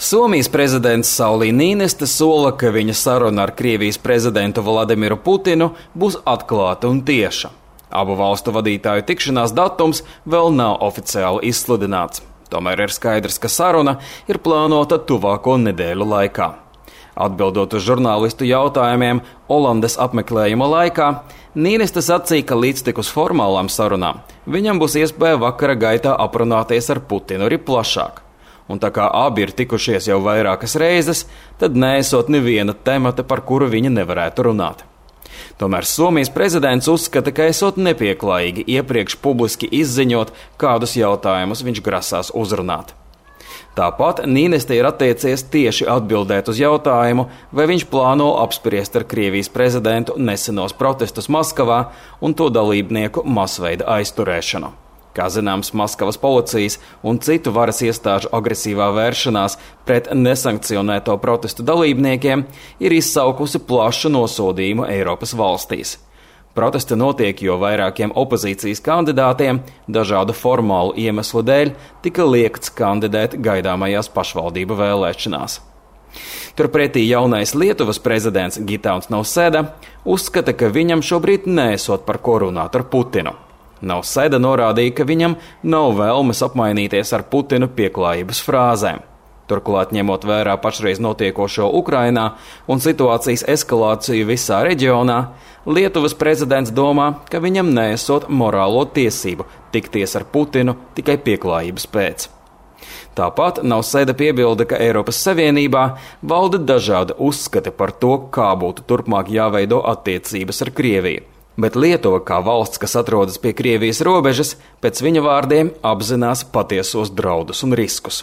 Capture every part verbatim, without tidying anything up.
Somijas prezidents Sauli Niinistö sola, ka viņa saruna ar Krievijas prezidentu Vladimiru Putinu būs atklāta un tieša. Abu valstu vadītāju tikšanās datums vēl nav oficiāli izsludināts. Tomēr ir skaidrs, ka saruna ir plānota tuvāko nedēļu laikā. Atbildot uz žurnālistu jautājumiem Olandes apmeklējuma laikā, Niinistö sacīja, ka līdztekus formālām sarunām viņam būs iespēja vakara gaitā aprunāties ar Putinu arī plašāk. Un tā kā abi ir tikušies jau vairākas reizes, tad neesot neviena temata, par kuru viņi nevarētu runāt. Tomēr Somijas prezidents uzskata, ka esot nepieklājīgi iepriekš publiski izziņot, kādus jautājumus viņš grasās uzrunāt. Tāpat Niinistö ir attiecies tieši atbildēt uz jautājumu, vai viņš plāno apspriest ar Krievijas prezidentu nesenos protestus Maskavā un to dalībnieku masveida aizturēšanu. Kā zināms, Maskavas policijas un citu varas iestāžu agresīvā vēršanās pret nesankcionēto protestu dalībniekiem ir izsaukusi plašu nosodījumu Eiropas valstīs. Protesti notiek, jo vairākiem opozīcijas kandidātiem dažādu formālu iemeslu dēļ tika liegts kandidēt gaidāmajās pašvaldību vēlēšanās. Turpretī jaunais Lietuvas prezidents Gitauns Nausēda uzskata, ka viņam šobrīd neesot par ko runāt ar Putinu. Nausēda norādīja, ka viņam nav vēlmes apmainīties ar Putinu pieklājības frāzēm. Turklāt, ņemot vērā pašreiz notiekošo Ukrainā un situācijas eskalāciju visā reģionā, Lietuvas prezidents domā, ka viņam neesot morālo tiesību tikties ar Putinu tikai pieklājības pēc. Tāpat Nausēda piebilda, ka Eiropas Savienībā valda dažādi uzskati par to, kā būtu turpmāk jāveido attiecības ar Krieviju. Bet Lietuva, kā valsts, kas atrodas pie Krievijas robežas, pēc viņa vārdiem apzinās patiesos draudus un riskus.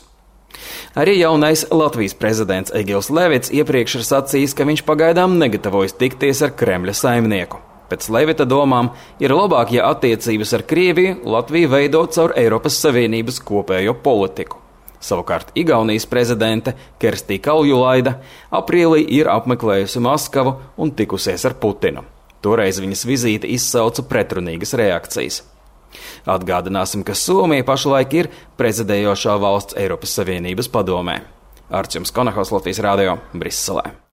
Arī jaunais Latvijas prezidents Egils Levits iepriekš ir sacījis, ka viņš pagaidām negatavojas tikties ar Kremļa saimnieku. Pēc Levita domām ir labāk, ja attiecības ar Krieviju Latvija veido caur Eiropas Savienības kopējo politiku. Savukārt Igaunijas prezidente Kerstī Kaljulaida aprīlī ir apmeklējusi Maskavu un tikusies ar Putinu. Toreiz viņas vizīte izsauca pretrunīgas reakcijas. Atgādināsim, ka Somija pašlaik ir prezidējošā valsts Eiropas Savienības padomē. Arčuns Konahaus, Latvijas radio, Briselē.